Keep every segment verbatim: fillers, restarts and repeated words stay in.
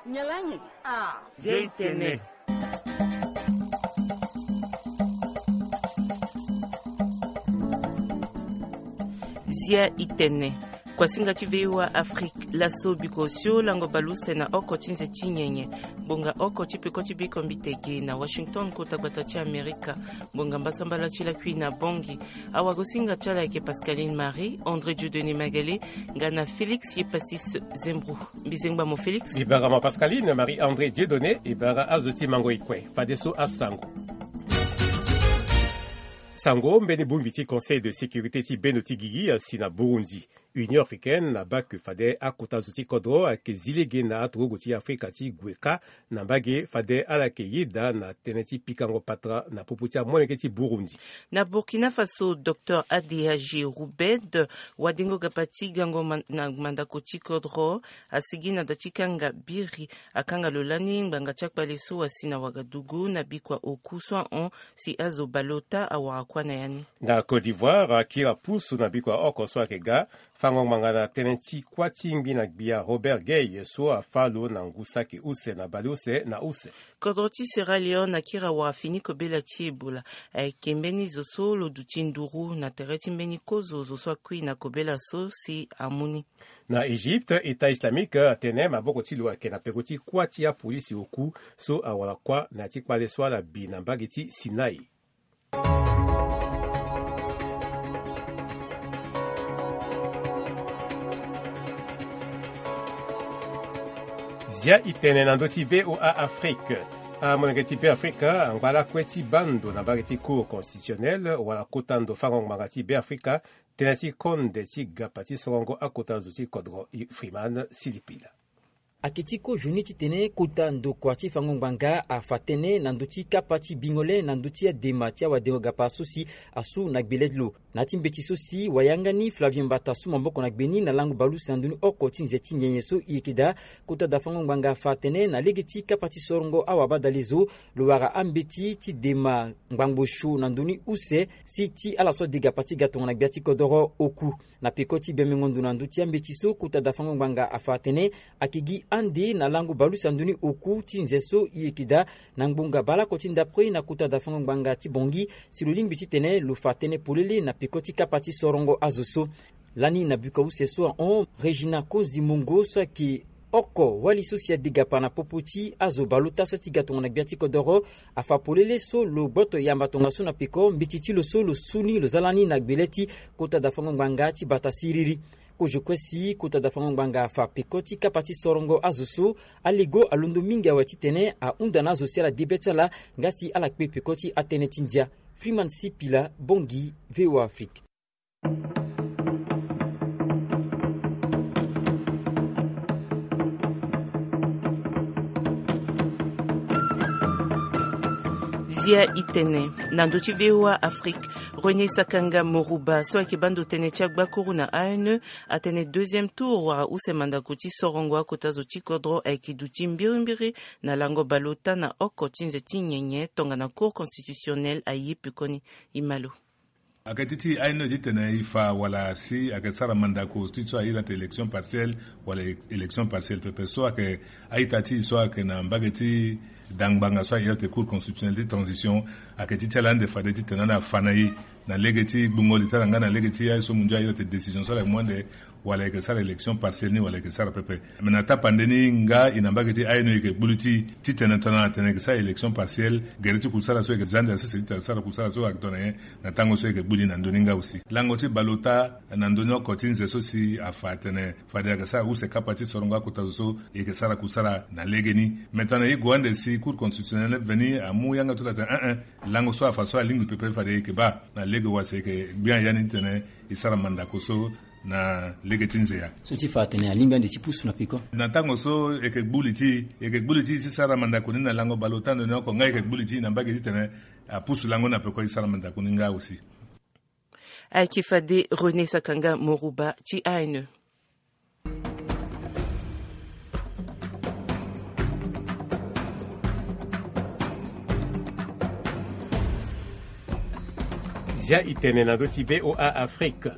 Nyalanyi. Ah. Zia itene. Zia itene. Kuasinga ti V O A Afrique, laso biko osio lango baleuse na oko ti nze ti nyenye. Ngbonga oko ti peko ti biko mbi tege na Washington, kota gbata ti Amerika. Ngbonga mbasambala ti lakui na Bangui. Awagosinga ti ala ayeke Pascaline Marie, André Dieudonné Magalé, nga na Félix Yepasis Zembro. Mbi zengba mo Félix. Mbi bara mo Pascaline Marie André Dieudonné, e bara azo ti mango e kue. Fadeso asango. Sango, mbeni bongbi ti Conseil de sécurité ti bendo ti gigi asi na Burundi. Union africaine abaa ke fade akota zo ti kodro ayeke zi lege na aturugu ti Afrika ti gue kâ na mbage, fade ala yeke yeda na tënë ti pikango patara na popo ti amolenge ti Burundi. Na Burkina Faso, docteur Adéagé Roubed, wadengo gapa ti gango man-, na mandako ti kodro, asigi na da ti kanga biri, akanga lo lani ngbanga ti akpale so asi na Ouagadougou na bikua oku so ahon si azo baleota awara kuâ na ya ni. Na Côte d'Ivoire, akiri apusu na bikua oko so ayeke ga fango ngbanga na tënë ti kuâ ti ngbi na gbia Robert Gueye so afâ lo na ngu saki use na baleuse na use. Kodro ti Sierra Leone akiri awara fini kobela ti Ebola. Ayeke mbeni zo so lo duti nduru na tere ti mbeni kozo zo so akui na kobela so si amu ni. Na Égypte, État islamique atene maboko ti lo ayeke na peko ti kuâ ti apolisi oku so awara kuâ na ya ti kpale so ala bi na mbage ti Sinaï. Zia itene na ndö ti V O A Afrique. Amolenge ti Beafrika angba lakue ti baa ndo na mbage ti Cour constitutionnelle wala kota ndo fango ngbanga ti Beafrika, tënë ti konde ti gapa ti sorongo akota zo ti kodro. Freeman Silipila. Ayeke ti kozo ni titene kota ndokua ti fango ngbanga afa tënë na ndö ti kapa ti bingo le na ndö ti adema ti awadengo gapa so si asu na gbele ti lo. Na ya ti mbeti so si wayanga ni Flavien Mbata asu maboko na gbe ni na lango baleuse na ndö ni oko ti nze ti nyenye so e yeke daa, kota da fango ngbanga afa atene na lege ti kapa ti sorongo awabadale zo, lo wara ambeti ti dema ngbangbo sio na ndö ni use si ti ala so ade gapa ti ga tongana gbia ti kodoro oku. Na peko ti bembengo ndo na ndö ti ambeti so, kota da fango ngbanga afa atene ayeke gi ande na lango baleuse na ndö ni oku ti nze so e yeke daa na ngbonga baleoko ti ndapre na kota da fango ngbanga ti Bangui, si lo lingbi titene lo fa tënë polele na peko ti kapa ti sorongo azo so. Lani na buka use so ahon, Régina Konzi Mongo so ayeke oko wali so si ade gapa na popo ti azo baleota so ti ga tongana gbia ti kodoro, afa polele so lo gboto yamba tongaso na peko mbeti ti lo so lo su ni lo za lani na gbele ti kota da fango ngbanga ti bata siriri. Kozo kue si kota da fango ngbanga afa peko ti kapa ti sorongo azo so, alego alondo mingi awe titene ahunda na azo si ala de be ti ala nga si ala kpe peko ti atënë ti ndia. Freeman Sipila, Bangui, V O A Afrique. Zia itene na ndö ti V O A Afrique. René Sakanga Morouba so ayeke baa ndo tënë ti agbakuru na A N E atene deuxième tour wala use mandako ti sorongo akota zo ti kodro ayeke duti mbirimbiri na lango baleota na oko ti nze ti nyenye tongana Cour constitutionnelle aye pekoni. E ma lo. Ayeke ti ti A N E titene e fa wala si ayeke sara mandako ti so a iri ate élection partielle wala é-, élection partielle pepe so ayeke a-ita ti e so ayeke na mbage ti da ngbanga so a iri ate Cour constitutionnelle ti transition. Ayeke ti ti ala ande fade titene ande afa na e na lege ti gbungo li ti ala nga na lege ti aye so mundio a iri ate décision so ala yeke mu ande wala e yeke sara élection partielle ni wala e yeke sara pepe. Me na tapande ni nga e na mbage ti A N E e yeke gbu li ti e titene tongana atene e yeke sara élection partielle, gere ti kusala so e yeke za ande asese titene asara kusala so ayeke tongana nyen na tango so e yeke gbu li na ndö ni nga aussi. Lango ti baleota na ndö ni oko ti nze so si afa atene fade ayeke sara use kapa ti sorongo akota zo so e yeke sara kusala na legeni. Me tongana e gue ande si Cour constitutionnelle veni amu yanga ti lo atene, eh, eh, lango so afa so alingbi pepe fade e yeke baa na lege wa si e yeke gbia ya ni titene e sara mandako so na lege ti nze ya. So ti fa atene alingbi ande ti pusu na peko. Na tango so e yeke gbu li ti e, e yeke gbu li ti e ti sara mandako ni na lango baleota ndo ni oko nga e yeke gbu li ti e na mbage titene apusu lango ni na peko e sara mandako ni nga aussi. Ayeke fade René Sakanga Morouba ti A N E. Zia itene na ndö ti V O A Afrique.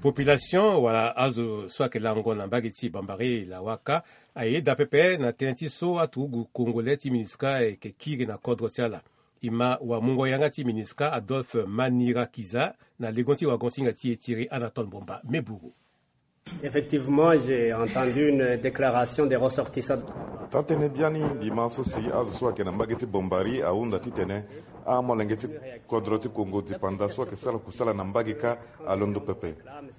Population wala azo so ayeke lango na mbage ti Bambari Lawaka ayeda pepe na tënë ti so aturugu congolais ti MINUSCA ayeke kiri na kodro ti ala. E ma wamungo yanga ti MINUSCA Adolphe Manirakiza na legon ti wagonsinga ti e tiri Anatole Mbomba Meburu. Effectivement, j'ai entendu une déclaration des ressortissants. Taa-tënë biani mbi ma so si azo so ayeke na mbage ti Bombari ahunda titene amolenge ti kodro ti Kongo dipanda so ayeke sara kusala na mbage kâ alondo pepe.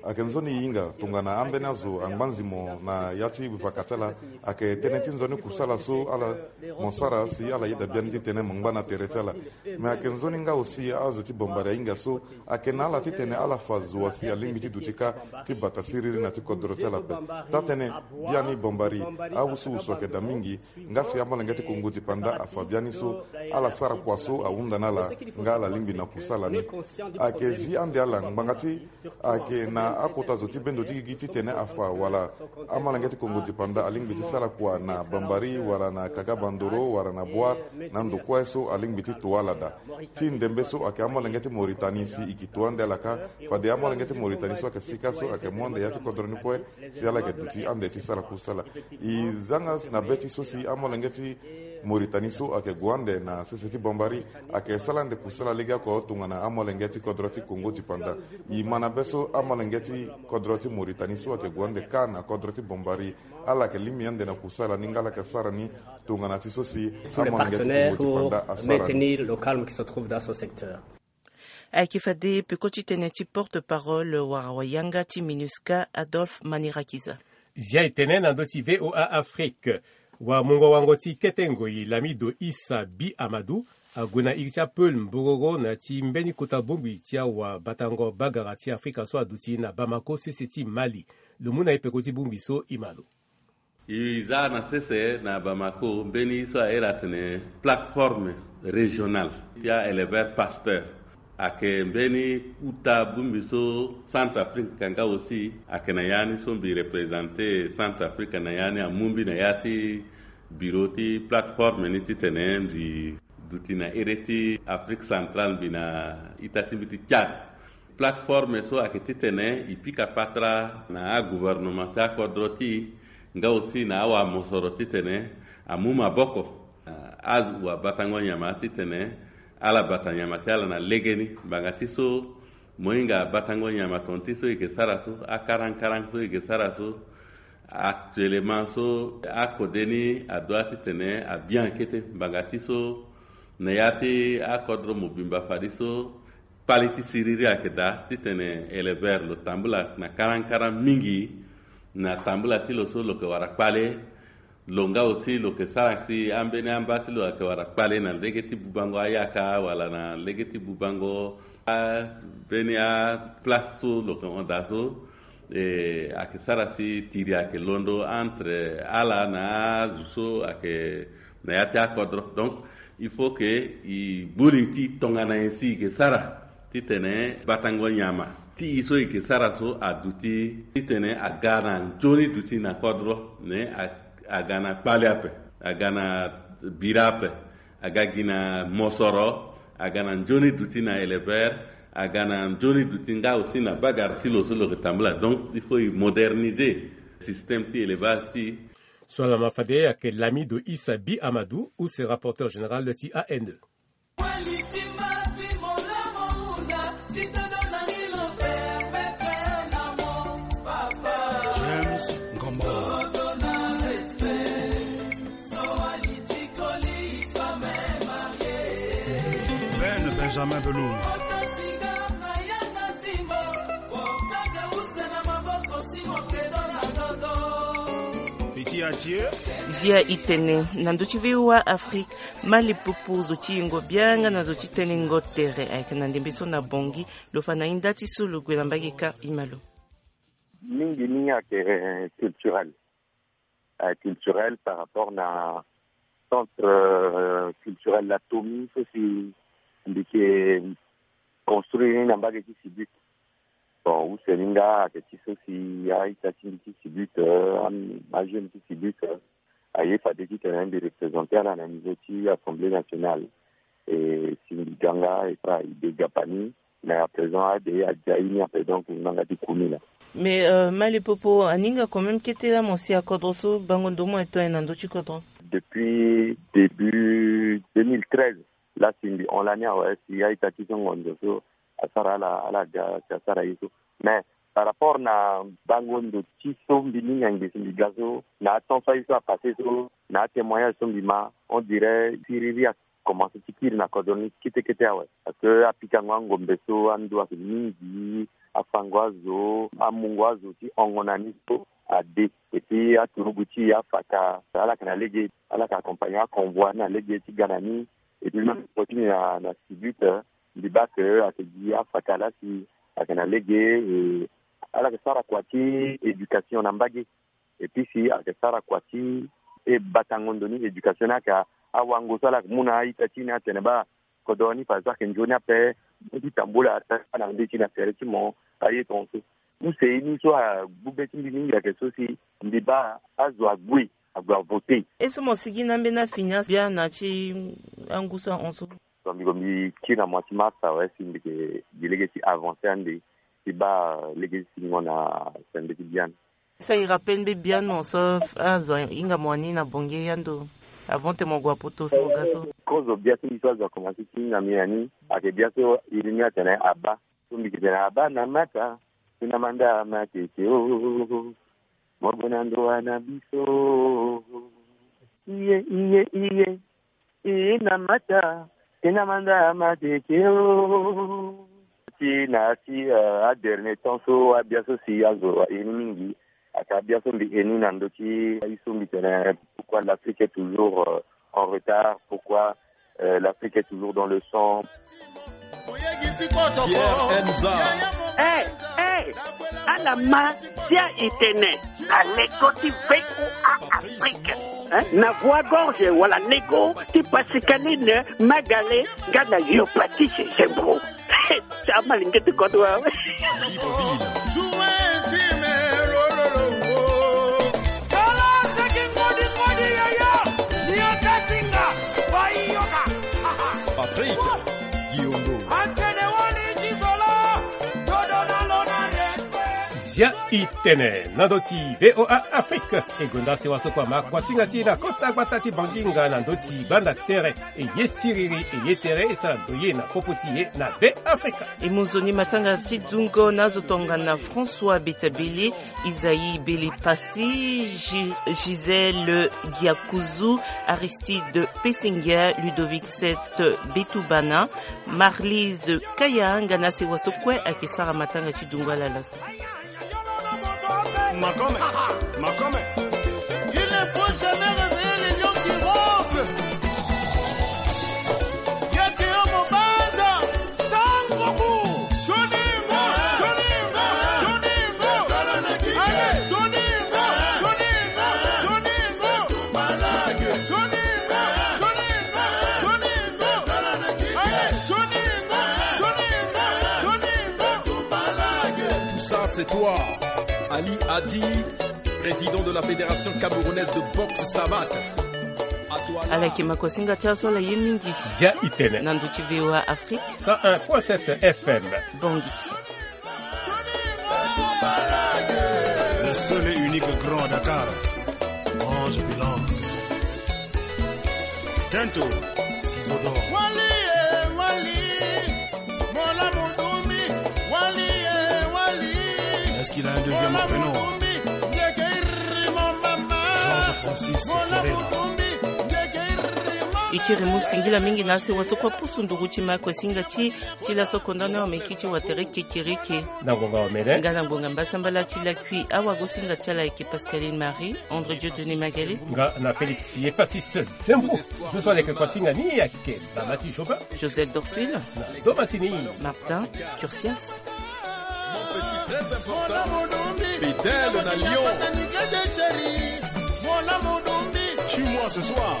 Ayeke nzoni e hinga tongana ambeni azo angba nzimo na ya ti vaka ti ala. Ayeke tënë ti nzoni kusala so ala mo sara si ala yeda biani titene mo ngba na tere ti ala. Me ayeke nzoni nga aussi azo ti Bombari ahinga so ayeke na ala titene ala fa zo wa si alingbi ti duti kâ ti bata siriri na ti kodro ti ala ape. Taa-tënë biani Bombari awusuwusu ayeke daa mingi. Nga si amolenge ti Kongo dipanda afa biani so ala sara kua so ahunda na ala nga ala lingbi na kusala ni. Ayeke zi ande ala ngbanga ti ayeke na akota zo ti bendo ti gigi titene afa wala amolenge ti Kongo dipanda alingbi ti sara kua na Bambari wala na Kagabandoro wala na Bouar na ndo kue so alingbi ti to ala daa. Ti ndembe so ayeke amolenge ti Mauritanie si e ke to ande ala kâ. Fade amolenge ti Mauritanie so ayeke sika so ayeke mu ande ya ti kodro ni kue si ala yeke duti ande ti sara kusala. E zanga na be ti so si amolenge ti Mauritanie so ayeke gue ande na sese ti Bombari ayeke sara ande kusala legeoko tongana amolenge ti kodro ti Kongo dipanda. E ma na be so amolenge ti kodro ti Mauritanie so ayeke gue ande kâ na kodro ti Bombari ala yeke lingbi ande na kusala ni nga ala yeke sara ni tongana ti so si amolenge ti Kongo dipanda asara ni. Ayeke fade peko ti tene ti porte-parole wala wayanga ti MINUSCA Adolphe Manirakiza. Zia e tene na ndö ti VOA Afrique. Wamungo-wango ti kete ngoi Lamido Issa Bi Amadou ague na iri ti apeul mbogoro na ya ti mbeni kota bongbi ti awabatango bagara ti Afrika so aduti na Bamako sese ti Mali. Lo mu na e peko ti bongbi so e ma lo. E za na sese na Bamako mbeni so a iri atene plateforme régionale ti a éleveur pasteur. Ayeke mbeni kuta bongbi so Centrafrique nga aussi ayeke na ya ni so mbi represente Centrafrique na ya ni amu mbi na ya ti biro ti plateforme ni titene mbi duti na ere ti Afrique centrale mbi na ita ti mbi ti Tchad. Plateforme so ayeke titene e pika patara na agouvernement ti akodro ti e nga aussi na awamosoro titene amu maboko na awabatango nyama titene ala bata nyama ti ala na legeni. Ngbanga ti so mo hinga batango nyama ton ti so e yeke sara so, akarankaran so e yeke sara so, actuellement so akode ni adoit titene abien kete ngbanga ti so na ya ti akodro mobimba fade so kpale ti siriri ayeke daa titene éleveur lo tambula na karankaran mingi na tambula ti lo so lo yeke wara kpale. Lo nga aussi lo yeke sara si ambeni amba ti lo ayeke wara kpale na lege ti bubango ayaka wala na lege ti bubango ambeni aplace so lo yeke hon daa so. E, ayeke sara si tiri ayeke londo entre ala na azo so ayeke na ya ti akodro. Donc il faut que e gbu li ti tongana nyen si e yeke sara titene batango nyama ti e so e yeke sara so aduti titene aga na nzoni duti na kodro. Mais aga na kpale ape, aga na bira ape, aga gi na mosoro, aga na nzoni duti na éleveur, aga na nzoni duti nga aussi na bagara ti lo so lo yeke tambula. Donc il faut e moderniser système ti élevage ti e. So alama fade ayeke Lamido Issa Bi Amadou use rapporteur général ti A N E. James Ngombo. Ben Benjamin Belou. Zia e tene na ndö ti V O A Afrique, mali pupu zo ti yingo bianga na zo ti tene ngo tere ayeke na ndembe so na Bangui. Lo fa na hinda ti so lo gue na mbage kâ e ma lo. Mingi ni ayeke culturel. Culturel par rapport na centre culturel Latomi so si mbi yeke construire ni na mbage ti Sibut. Bon, use ni nga ayeke ti so si a-ita ti mbi ti Sibut, ajeune ti Sibut aye fade titene mbi represente ala na niveau ti Assemblée nationale. E si mbi ga nga e fa e de gapa ni. Mais à présent ade adia ye ni ape, donc nanga ti kumi la. Mais euh, mali popo aninga quand même kete la mo si akodro so bango ndo mo eto na ndo ti kodro. Depuis début deux mille treize, la si mbi hon lani awe si aita ti so ngondo so asara ala ala ga si asara ye so. Mais par rapport na bango ndo ti so mbi ni nyange si mbi ga so na atemps so aye so apasse so na atémoignage so mbi ma, on dirait siriri akomanse ti kiri na kodro ni kete kete awe. Parce que apikango angombe so ando ayeke mingi, afango azo, amungo azo ti hongo na ni so ade. Et puis aturugu ti e afaka ala yeke na lege, ala yeke accompagner aconvoi ni na lege ti ga na ni. Et puis même mo ti ni na na sibute, mbi baa ke ayeke gi afaka la si ayeke na lege. Et ala yeke sara kua ti éducation na mbage. Et puis si ayeke sara kua ti e batango ndo ni éducation ni ayeke awango so ala yeke mu na a-ita ti ni atene baa kodro ni par exemple ayeke nzoni ape. Mo ti tambula ata na nde ti na tere ti mo aye tongaso. Use ye ni so agbu be ti mbi mingi ayeke so si mbi baa azo ague ague avote. Ye so mo sigi na ambeni afini asi bia na ti angu so ahon so. Mbi ko mbi kiri na mois ti mars awe si mbi ke gi lege ti avancer ande ti baa lege ti singo na sende ti biani. Sa i rappel mbe bia no so azo ahinga mo wani na bonge yando avant te mo gue apoto so mo ga so. Kozo bia so mbi so azo akomanse ti hinga mbi na ni ayeke bia so iri ni atene abaa. So mbi ke tene abaa na mata ti na manda matete o. Mo gue na ndo wa na biso. Iye iye iye. E na mata e na manda matete o. Ti na ya ti euh, adernier temps so abia so si azo aye ni mingi. Aka abia so mbi ye ni na ndo ti aye so mbi tene pourquoi l'Afrique est toujours euh, en retard, pourquoi euh, l'Afrique est toujours dans le sang. Pierre Enza. Eh, eh, ala ma sia itene na lego ti V O A Afrique. Hein? Na voix gorge wala lego ti Pascaline Magale nga na yo Patrice Zembro. Ti amalenge ti kodro awe. Patrick Guillaume. Zia i tene na ndo ti V O A Afrique. E gonda sewa so kua ma kuasinga ti e na kota gbata ti Banginga na ndo ti gbanda tere. E ye siriri e ye tere e sara ndo ye na popo ti e na Be Afrika. E mu nzoni matanga ti dungo na azo tongana François Betabele, Isaïe Belipassi, Gi- Gisèle Giakuzu, Aristide Pesingia, Ludovic Seth Betubana, Marlise Kaya nga na asewa so kue ayeke sara matanga ti dungo ala laso. Makome, Makome. Il ne faut jamais réveiller les lions qui ronflent. Yeke yo mobanza. Sangoku. Joningo, Joningo, Joningo. Allez, Joningo, Joningo, Joningo. Joningo, Joningo, Joningo. Allez, Joningo, Joningo, Joningo. Tout ça, c'est toi. Ali Adi, président de la Fédération camerounaise de boxe savate. À toi là. Ala yeke makosinga ti aso ala ye mingi. Zia i tene. Na ndo ti V O A Afrique. Cent un point sept F M. Bongi. Le seul et unique grand à Dakar. Ange Bilan. Tento, Ciseaux d'or. Wali, eh, Wali. Mola Mudumbi, Wali, eh, Wali. Est-ce qu'il a un deuxième prénom ? Mola Mudumbi, Ngekeiri, mon maman. Georges Francis Mola Ferreira. Mudumbi, Ngekeiri, mon E kiri mu singila mingi na asewa so kue pusu nduru ti ma kue singa ti ti laso konda ni wameki ti watere kekereke. Na ngonga wamene. Nga na ngonga mbasambala ti lakui awago singa ti ala ayeke Pascaline Marie, André Dieu Denis Magali. Nga na Félix Yepasis Zembo. Zo so ala yeke kua singa ni ayeke Bamati Jobin. Joseph Dorsil. Na Domasini. Martin Curcias. Mon petit très important. Bédel na Lyon. Tue-moi ce soir.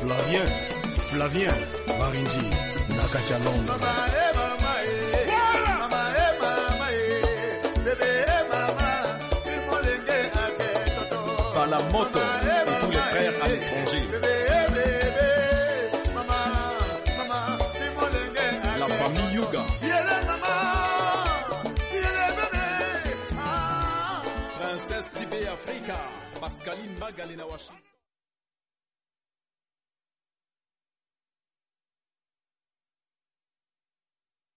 Flavien, Flavien, Marinji, Nakacha Long. Balamoto et tous les frères à l'étranger. La famille Yuga. Ka Pascaline Magale na Washington.